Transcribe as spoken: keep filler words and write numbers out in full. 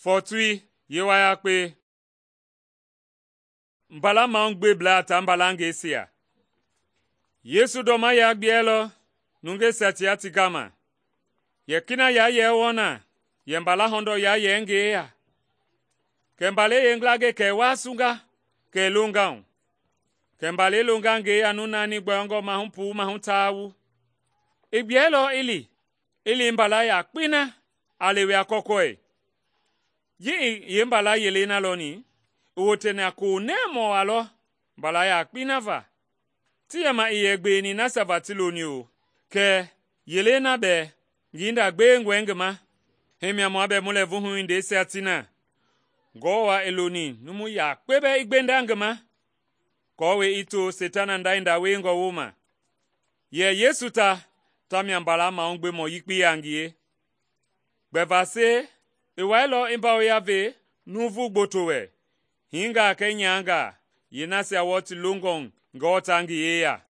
Fɔɔtui yewayakpe. Mbala mahugbeblaa taa mbalangɛisia. Yesu ndɔma yaa gbiɛlɔ nungeisia tia ti gama. Yɛ kina yaa yɛ wɔɔ na yɛ mbala hɔndɔ yaa yɛ ngi yeya. Kɛ mbalɛi yeengila gɛ kɛ i waasunga kɛ i longa hu. Kɛ mbalɛi longa ngi yeya nu naani gbɔyɔngɔ mahu puu mahu taa wu. I gbiɛlɔ i li, i li mbala yakpei na a lewe a kɔkɔi. Ji i yeembala yelei na lɔni, i woteni a koonɛmɔ waa lɔ mbala yakpei na va. Ti yɛma i yɛ gbeweni nasia va ti loni o, kɛ yelei na bɛɛ ngi hinda gbewengɔe ngi ma. Hii mia mua bɛɛ mu lɛɛvuhui hindeisia ti na. Ngɔwɔ i loni numu yakpe bɛɛ i gbenda ngi ma, aako i to Seitana nda hinda wiengɔ wooma. Yɛ Yesu ta, tamia mbala mahugbemɔ yekpei a ngie. Gbɛvasei i wailɔ i mbawoya ve Nuuvu Gboto wɛ, hiingaa kɛɛ nyahangaa, yeenasia wɔɔ ti longɔ Ngewɔ ta ngi yeya.